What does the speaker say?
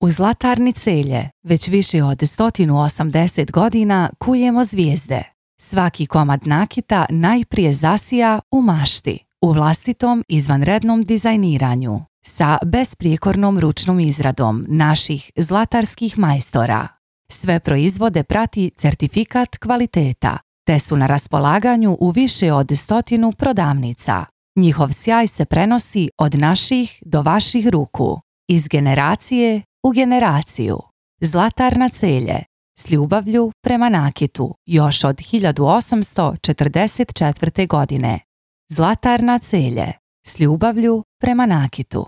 U Zlatarni Celje već više od 180 godina kujemo zvijezde. Svaki komad nakita najprije zasija u mašti, u vlastitom izvanrednom dizajniranju, sa besprijekornom ručnom izradom naših zlatarskih majstora. Sve proizvode prati certifikat kvaliteta, te su na raspolaganju u više od 100 prodavnica. Njihov sjaj se prenosi od naših do vaših ruku, iz generacije u generaciju. Zlatarna Celje, s ljubavlju prema nakitu, još od 1844. godine. Zlatarna Celje, s ljubavlju prema nakitu.